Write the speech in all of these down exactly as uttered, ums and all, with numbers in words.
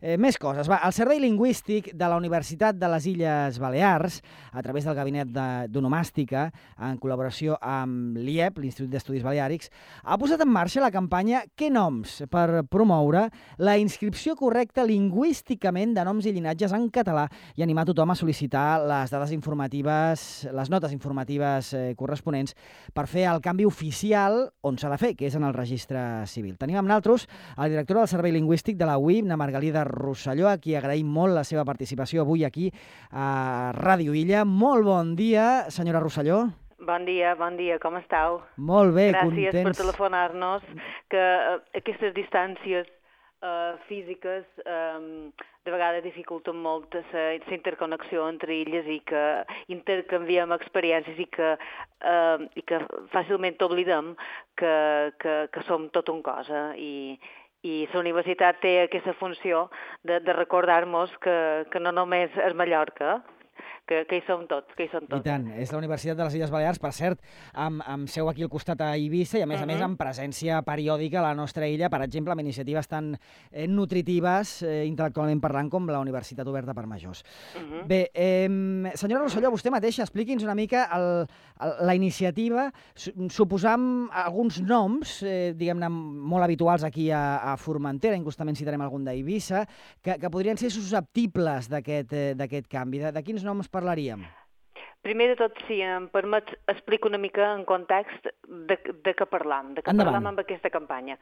Eh, més coses. Va, el Servei Lingüístic de la Universitat de les Illes Balears, a través del Gabinet d'Onomàstica, en col·laboració amb l'I E B, l'Institut d'Estudis Baleàrics, ha posat en marxa la campanya Què noms? Per promoure la inscripció correcta lingüísticament de noms i llinatges en català i animar tothom a sol·licitar les dades informatives, les notes informatives eh, corresponents per fer el canvi oficial on s'ha de fer, que és en el registre civil. Tenim amb nosaltres el director del Servei Lingüístic de la U I B, na Margalida Rosselló, a qui agraïm molt la seva participació avui aquí a Ràdio Illa. Molt bon dia, senyora Rosselló. Bon dia, bon dia, com estàu? Molt bé, Gràcies contents. Gràcies per telefonar-nos, que uh, aquestes distàncies uh, físiques um, de vegades dificulten molt la interconnexió entre illes i que intercanviem experiències i que, uh, i que fàcilment oblidem que, que, que som tot un cosa i, i la universitat té aquesta funció de, de recordar-nos que, que no només és Mallorca, que, que hi som tots, que hi som tots. I tant, és la Universitat de les Illes Balears, per cert, amb, amb seu aquí al costat a Eivissa i a més uh -huh. a més amb presència periòdica a la nostra illa, per exemple, amb iniciatives tan eh, nutritives, eh, intel·lectualment parlant, com la Universitat Oberta per Majors. Uh -huh. Bé, eh, senyora Rosselló, vostè mateixa, expliqui'ns una mica el, el, la iniciativa, suposam alguns noms, eh, diguem-ne, molt habituals aquí a, a Formentera, inclús citarem algun d'Eivissa, que, que podrien ser susceptibles d'aquest eh, d'aquest canvi. De, de quins noms parlaríem? Primer de tot, si em permet, explico una mica en context de, de què parlam, de què Endavant. parlam amb aquesta campanya.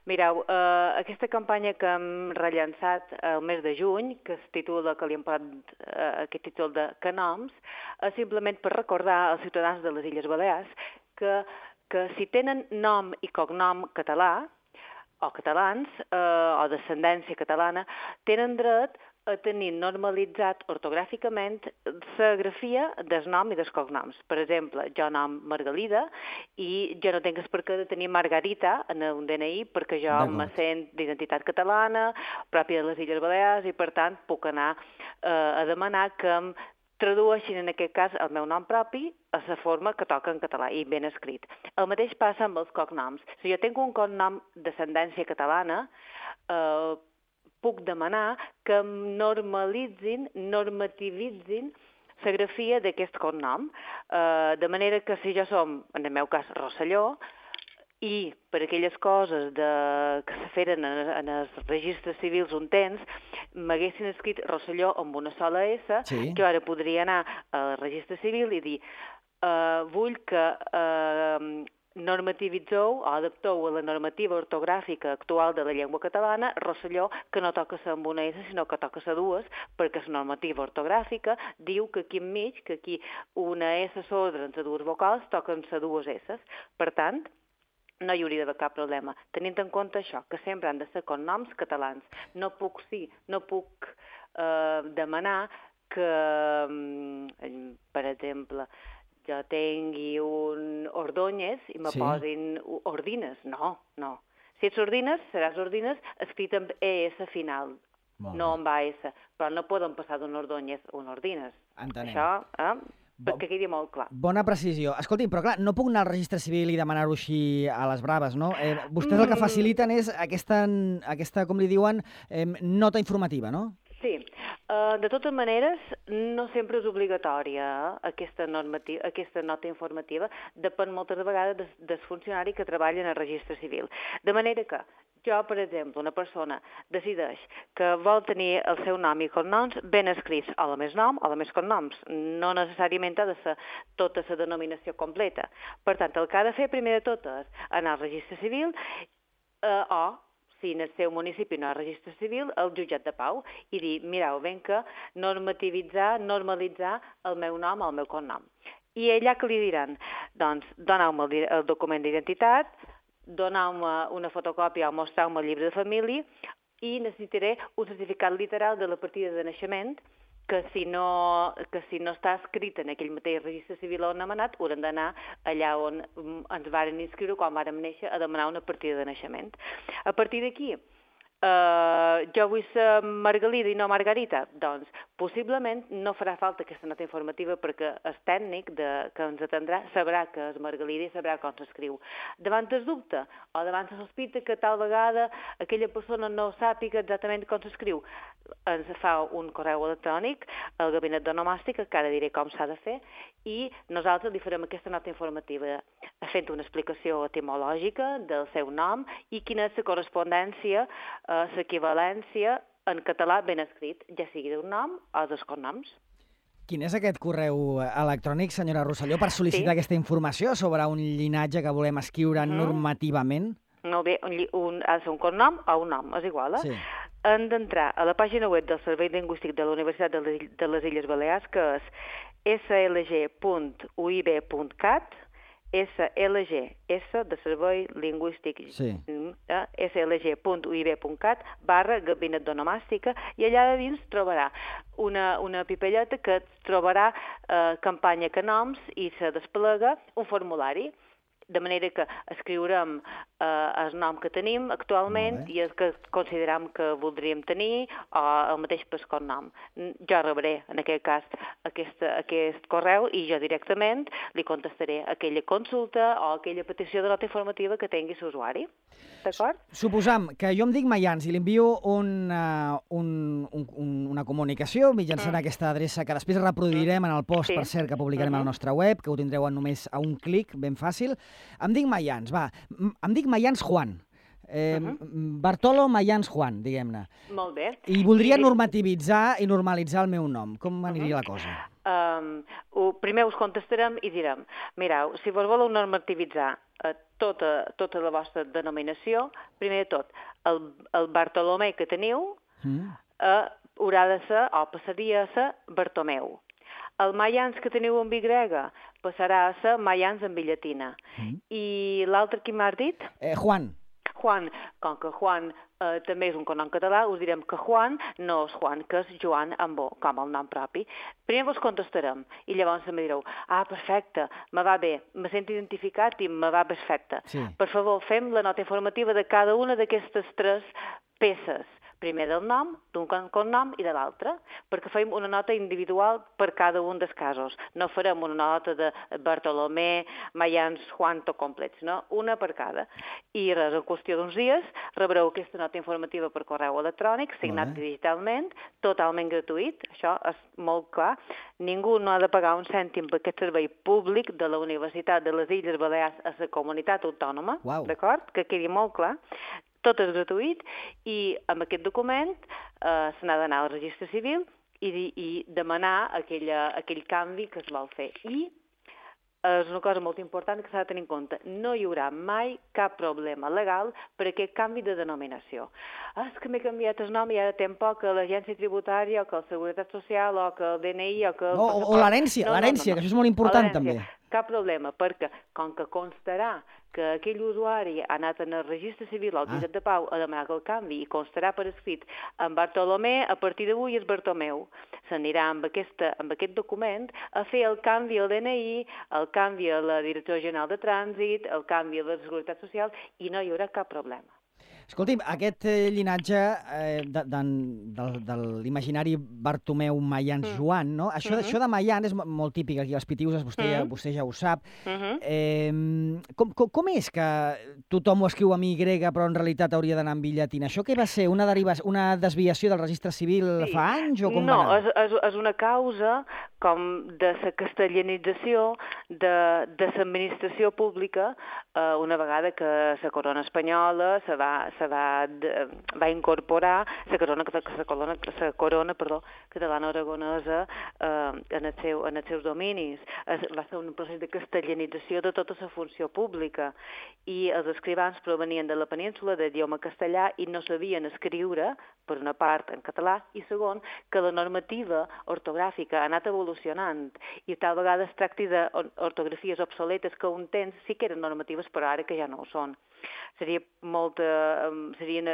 Mireu, eh, aquesta campanya que hem rellançat el mes de juny, que es titula, que li hem posat eh, aquest títol de Que noms, és simplement per recordar als ciutadans de les Illes Balears que, que si tenen nom i cognom català, o catalans, eh, o descendència catalana, tenen dret a tenir normalitzat ortogràficament la grafia del nom i dels cognoms. Per exemple, jo nom Margalida i jo no tinc per què de tenir Margarita en un D N I perquè jo me sent d'identitat catalana, pròpia de les Illes Balears, i per tant puc anar eh, a demanar que em tradueixin en aquest cas el meu nom propi a la forma que toca en català i ben escrit. El mateix passa amb els cognoms. Si jo tinc un cognom d'ascendència catalana, eh, puc demanar que em normalitzin, normativitzin la grafia d'aquest cognom, eh, de manera que si jo som, en el meu cas, Rosselló, i per aquelles coses de, que se feren en, en els registres civils un temps, m'haguessin escrit Rosselló amb una sola S, sí. Jo ara podria anar al registre civil i dir eh, vull que eh, normativitzeu o adapteu a la normativa ortogràfica actual de la llengua catalana Rosselló, que no toca ser amb una S, sinó que toca ser dues, perquè la normativa ortogràfica diu que aquí enmig, que aquí una S sorda entre dues vocals toquen ser dues S. Per tant, no hi hauria d'haver cap problema. Tenint en compte això, que sempre han de ser cognoms catalans. No puc, sí, no puc eh, demanar que, per exemple, jo tingui un Ordóñez i me sí. posin Ordines. No, no. Si ets Ordines, seràs Ordines escrit amb E S final, molt no amb A S. Però no poden passar d'un Ordóñez a un Ordines. Entenem. Això, eh? perquè quedi molt clar. Bona precisió. Escolti, però clar, no puc anar al registre civil i demanar-ho així a les braves, no? Eh, vostès el que faciliten és aquesta, aquesta com li diuen, eh, nota informativa, no? Sí. Uh, de totes maneres, no sempre és obligatòria eh, aquesta, normativa, aquesta nota informativa. Depèn moltes vegades del, del funcionari que treballa en el registre civil. De manera que jo, per exemple, una persona decideix que vol tenir el seu nom i cognoms ben escrits, o la més nom o la més cognoms. No necessàriament ha de ser tota la denominació completa. Per tant, el que ha de fer primer de tot és anar al registre civil eh, o, si en el seu municipi no hi ha registre civil, al jutjat de pau i dir, mireu, ben que normativitzar, normalitzar el meu nom o el meu cognom. I allà que li diran? Doncs doneu-me el, el document d'identitat, doneu-me una fotocòpia o mostreu-me el llibre de família i necessitaré un certificat literal de la partida de naixement que si no, que si no està escrit en aquell mateix registre civil on hem anat, haurem d'anar allà on ens varen inscriure quan vàrem néixer a demanar una partida de naixement. A partir d'aquí, Uh, jo vull ser Margalida i no Margarita, doncs possiblement no farà falta aquesta nota informativa perquè el tècnic de, que ens atendrà sabrà que és Margalida i sabrà com s'escriu. Davant el dubte o davant la sospita que tal vegada aquella persona no sàpiga exactament com s'escriu, ens fa un correu electrònic al gabinet d'onomàstica, que ara diré com s'ha de fer, i nosaltres li farem aquesta nota informativa fent una explicació etimològica del seu nom i quina és la correspondència, eh, l'equivalència en català ben escrit, ja sigui d'un nom o dels cognoms. Quin és aquest correu electrònic, senyora Rosselló, per sol·licitar Sí. aquesta informació sobre un llinatge que volem escriure Mhm. normativament? No bé, un, lli- un, ha de ser un cognom o un nom, és igual, eh? Sí. Han d'entrar a la pàgina web del Servei Lingüístic de la Universitat de les, de les Illes Balears, que és s l g punt u i b punt cat, S L G, S de Servei Lingüístic, Sí. eh, s l g punt u i b punt cat, barra gabinet d'onomàstica, i allà de dins trobarà una, una pipelleta que trobarà eh, campanya que noms i se desplega un formulari, de manera que escriurem eh, el nom que tenim actualment i el que considerem que voldríem tenir o el mateix per cognom. Jo rebré, en aquest cas, aquest, aquest correu i jo directament li contestaré aquella consulta o aquella petició de nota informativa que tingui l'usuari. D'acord? Suposam que jo em dic Mayans i li envio un, uh, un, un, un, una comunicació mitjançant mm. aquesta adreça que després reproduirem en el post, Sí. per cert, que publicarem Mhm. a la nostra web, que ho tindreu només a un clic, ben fàcil. Em dic Mayans, va. M- Em dic Mayans Juan. Eh, Mhm. Bartolo Mayans Juan, diguem-ne. Molt bé. I voldria I- normativitzar i normalitzar el meu nom. Com aniria la cosa? Um, ho, primer us contestarem i direm, mireu, si vos voleu normativitzar eh, tota, tota la vostra denominació, primer de tot, el, el Bartolomé que teniu Mm. eh, haurà de ser, o passaria a ser Bartomeu. El Mayans que teniu amb Y passarà a ser Mayans amb I llatina. Mm. I l'altre qui m'has dit? Eh, Juan. Juan, com que Juan eh, també és un cognom català, us direm que Juan no és Juan, que és Joan amb O, com el nom propi. Primer vos contestarem i llavors em direu, ah, perfecte, me va bé, me sento identificat i me va perfecte. Sí. Per favor, fem la nota informativa de cada una d'aquestes tres peces. Primer del nom, d'un cognom i de l'altre, perquè fem una nota individual per cada un dels casos. No farem una nota de Bartolomé, Mayans, Juan, tot complets, no? Una per cada. I res, en qüestió d'uns dies, rebreu aquesta nota informativa per correu electrònic, signat Molt bé. digitalment, totalment gratuït, això és molt clar. Ningú no ha de pagar un cèntim per aquest servei públic de la Universitat de les Illes Balears a la comunitat autònoma, Uau. d'acord? Que quedi molt clar. Tot és gratuït i amb aquest document eh, se n'ha d'anar al registre civil i, di- i demanar aquella, aquell canvi que es vol fer. I és una cosa molt important que s'ha de tenir en compte. No hi haurà mai cap problema legal per aquest canvi de denominació. Ah, és que m'he canviat el nom i ara tenc por que l'agència tributària o que la Seguretat Social o que el D N I o que... el No, o- o passaport- l'herència, l'herència, que això és molt important, O l'herència. també. Cap problema, perquè com que constarà que aquell usuari ha anat en el registre civil al Jutjat de Pau a demanar el canvi i constarà per escrit en Bartolomé, a partir d'avui és Bartomeu. S'anirà amb, aquesta, amb aquest document a fer el canvi al D N I, el canvi a la Direcció General de Trànsit, el canvi a la Seguretat Social i no hi haurà cap problema. Escolti'm, aquest eh, llinatge eh, de, de, de, de l'imaginari Bartomeu Mayans Mm. Joan, no? Això, Mhm. això de Mayan és mo- molt típic aquí als Pitiuses, vostè, Mhm. vostè ja ho sap. Uh -huh. Eh, com, com, com és que tothom ho escriu amb Y però en realitat hauria d'anar amb I llatina? Això què va ser? Una, deriva, una desviació del registre civil Sí. fa anys o com no, va anar? és, és, és una causa com de la castellanització de, de l'administració pública eh, una vegada que la corona espanyola se va, se va, de, va incorporar la corona, la corona, la corona perdó, catalana-aragonesa eh, en, el seu, en els seus dominis. Es, va ser un procés de castellanització de tota la funció pública i els escrivans provenien de la península d'idioma castellà i no sabien escriure, per una part, en català, i segon, que la normativa ortogràfica ha anat evolucionant i tal vegada es tracti d'ortografies obsoletes que un temps sí que eren normatives, però ara que ja no ho són. Seria molta, serien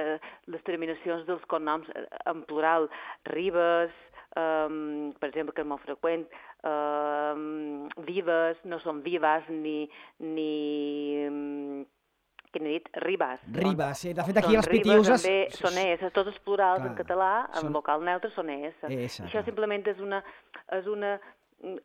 les terminacions dels cognoms en plural, Ribes, um, per exemple, que és molt freqüent, um, Vives, no són Vives, ni, ni, que n'he dit, Ribas. Ribas, sí. De fet, aquí són els pitius... Ribes, també són es, tots els plurals Clar, en català, en són- vocal neutre són es. Es, I això clar. simplement és una, és una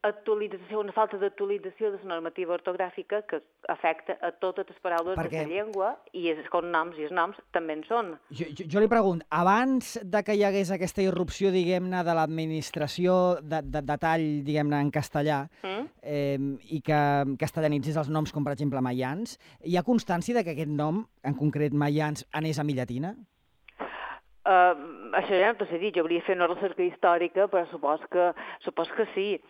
actualització, una falta d'actualització de la normativa ortogràfica que afecta a totes les paraules Perquè- de la llengua i els cognoms i els noms també en són. Jo, jo, jo li pregunto, abans de que hi hagués aquesta irrupció, diguem-ne, de l'administració de, de, de tall, diguem-ne, en castellà, Mm? eh, i que castellanitzés els noms com, per exemple, Mayans, hi ha constància de que aquest nom, en concret Mayans, anés a mi llatina? Uh, això ja no t'ho sé dir, jo hauria de fer una recerca històrica, però supos que, supos que sí.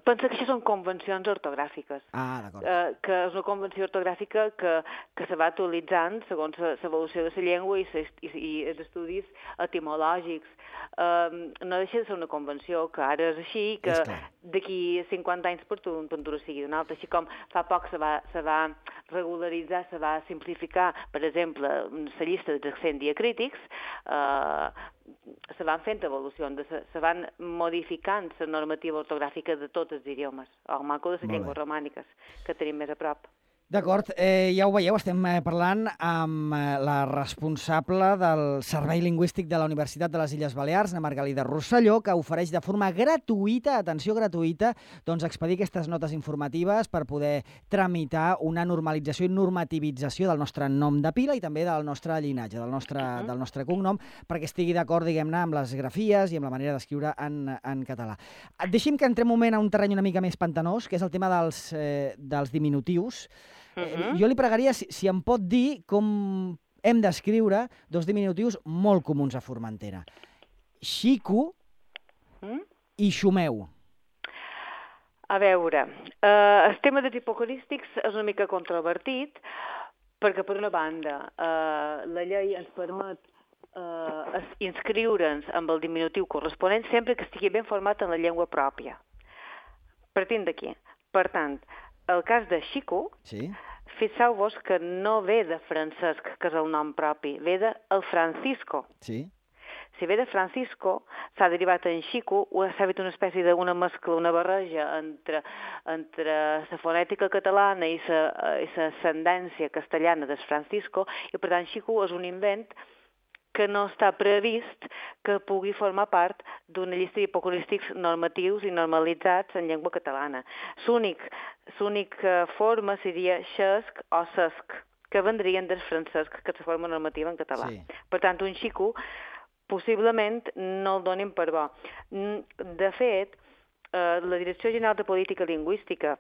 Pensa que això són convencions ortogràfiques. Ah, d'acord. Uh, que és una convenció ortogràfica que, que se va actualitzant segons l'evolució de la llengua i, ses, i, i els estudis etimològics. Uh, no deixa de ser una convenció que ara és així, que És clar. d'aquí cinquanta anys per tu un pintura sigui d'una altra, així com fa poc se va, se va regularitzar, se va simplificar, per exemple, la llista dels accents diacrítics, eh, se van fent evolucions, se, se van modificant la normativa ortogràfica de tots els idiomes, el maco de les Molt bé. llengües romàniques, que tenim més a prop. D'acord, eh, ja ho veieu, estem eh, parlant amb eh, la responsable del Servei Lingüístic de la Universitat de les Illes Balears, na Margalida Rosselló, que ofereix de forma gratuïta, atenció gratuïta, doncs expedir aquestes notes informatives per poder tramitar una normalització i normativització del nostre nom de pila i també del nostre llinatge, del nostre, Mhm. del nostre cognom, perquè estigui d'acord, diguem-ne, amb les grafies i amb la manera d'escriure en, en català. Deixi'm que entrem un moment a un terreny una mica més pantanós, que és el tema dels, eh, dels diminutius. Eh, Mhm. Jo li pregaria si, si em pot dir com hem d'escriure dos diminutius molt comuns a Formentera. Xico Mm? i Xumeu. A veure, eh, el tema dels hipocorístics és una mica controvertit, perquè per una banda eh, la llei ens permet eh, es- inscriure'ns amb el diminutiu corresponent sempre que estigui ben format en la llengua pròpia. Partint d'aquí. Per tant, el cas de Xico, Sí? fixeu-vos que no ve de Francesc, que és el nom propi, ve de el Francisco. Sí? Si ve de Francisco, s'ha derivat en Xico, o s'ha fet una espècie d'una mescla, una barreja entre, entre la fonètica catalana i l'ascendència castellana del Francisco, i per tant Xico és un invent que no està previst que pugui formar part d'una llista d'hipocorístics normatius i normalitzats en llengua catalana. L'únic, l'única forma seria xesc o cesc, que vendrien del francès, que és la forma normativa en català. Sí. Per tant, un xico possiblement no el donin per bo. De fet, eh, la Direcció General de Política Lingüística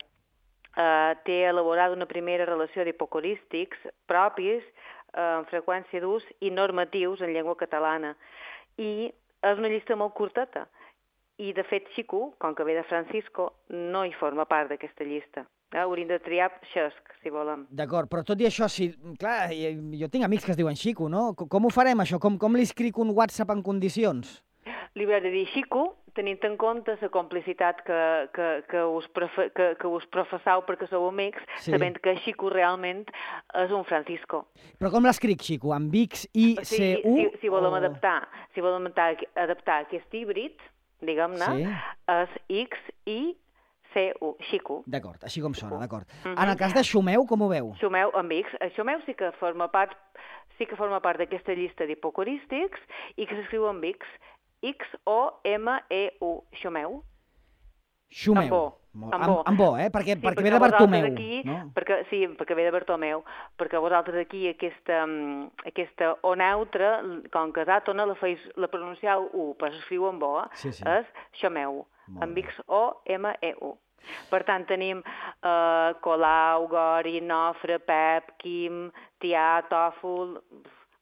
eh, té elaborada una primera relació d'hipocorístics propis amb freqüència d'ús i normatius en llengua catalana. I és una llista molt curteta. I, de fet, Xico, com que ve de Francisco, no hi forma part d'aquesta llista. Eh? Hauríem de triar xesc, si volem. D'acord, però tot i això, si, clar, jo tinc amics que es diuen Xico, no? Com, com ho farem, això? Com, com li escric un WhatsApp en condicions? Li haurà de dir Xico, tenint en compte la complicitat que, que, que, us, prefe, que, que us professau perquè sou amics, Sí. sabent que Xico realment és un Francisco. Però com l'escric, Xico? Amb X, I, O C, sigui, U? si, si volem o... adaptar, si volem adaptar, adaptar aquest híbrid, diguem-ne, Sí. és X, I, C, U, Xico. D'acord, així com sona, d'acord. Mhm. En el cas de Xumeu, com ho veu? Xumeu amb X. El Xumeu sí que forma part sí que forma part d'aquesta llista d'hipocorístics i que s'escriu amb X. X, O, M, E, U. Xumeu. Xumeu. Amb bo. Molt- Amb Amb, bo. amb bo, eh? Perquè, Sí, perquè perquè ve de vosaltres Bartomeu, aquí, no? perquè, sí, perquè ve de Bartomeu, perquè vosaltres aquí aquesta, mm, aquesta O neutra, com que és àtona, la, feis, la pronunciau U, però s'escriu amb O, Sí, sí. és Xumeu, Molt amb bé. X, O, M, E, U. Per tant, tenim eh, Colau, Gori, Nofre, Pep, Quim, Tià, Tòfol,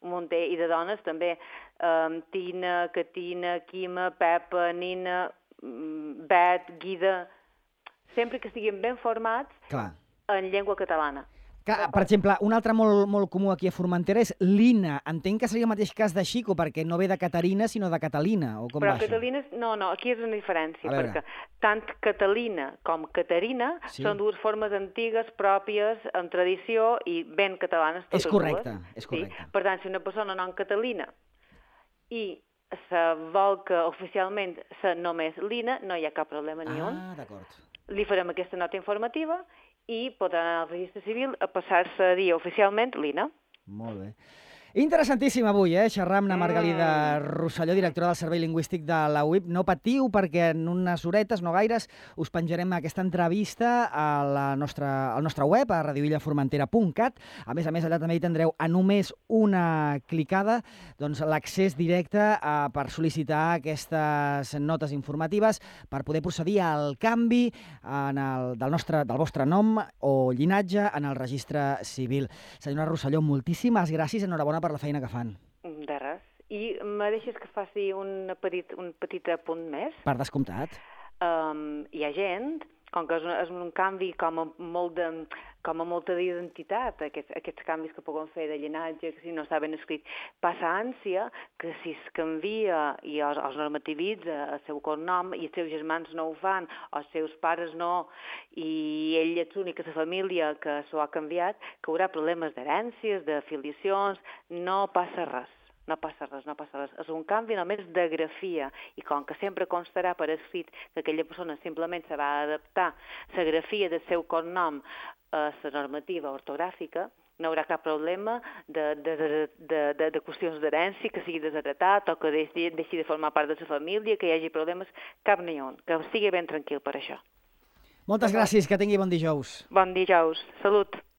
un munter, i de dones també, eh, Tina, Catina, Quima, Pepa, Nina, mm, Bet, Guida, sempre que estiguin ben formats Clar. en llengua catalana. Clar, per exemple, un altre molt, molt comú aquí a Formentera és Lina. Entenc que seria el mateix cas de Xico, perquè no ve de Caterina, sinó de Catalina, o com Però va això? Catalina, no, no, aquí és una diferència, A veure. perquè tant Catalina com Caterina Sí. són dues formes antigues, pròpies, en tradició i ben catalanes totes És correcte, dues. és correcte. Sí? Per tant, si una persona nom Catalina i se vol que oficialment se només Lina, no hi ha cap problema ni un. Ah, d'acord. Li farem aquesta nota informativa i pot anar al registre civil a passar-se a dir oficialment l'I N A. Molt bé. Interessantíssim avui, eh? Xerrar amb la Margalida Mm. Rosselló, directora del Servei Lingüístic de la U I P. No patiu, perquè en unes horetes, no gaires, us penjarem aquesta entrevista a la nostra, al nostre web, a radioillaformentera punt cat. A més a més, allà també hi tindreu a només una clicada doncs, l'accés directe a, per sol·licitar aquestes notes informatives per poder procedir al canvi en el, del, nostre, del vostre nom o llinatge en el registre civil. Senyora Rosselló, moltíssimes gràcies, enhorabona per la feina que fan. De res. I me deixes que faci un petit, un petit apunt més? Per descomptat. Um, hi ha gent, com que és un, és un canvi com a, molt de, com a molta d'identitat, aquests, aquests canvis que poden fer de llinatge, que si no està ben escrit, passa ànsia que si es canvia i els, els normativitza el seu cognom i els seus germans no ho fan, o els seus pares no, i ell és l'únic a la família que s'ho ha canviat, que haurà problemes d'herències, d'afiliacions, no passa res. No passa res, no passa res. És un canvi només de grafia i com que sempre constarà per escrit que aquella persona simplement se va adaptar la grafia del seu cognom a la normativa ortogràfica, no hi haurà cap problema de, de, de, de, de, de qüestions d'herència, que sigui desheretat o que deixi, deixi de formar part de la família, que hi hagi problemes, cap ni un, que estigui ben tranquil per això. Moltes gràcies, que tingui bon dijous. Bon dijous. Salut.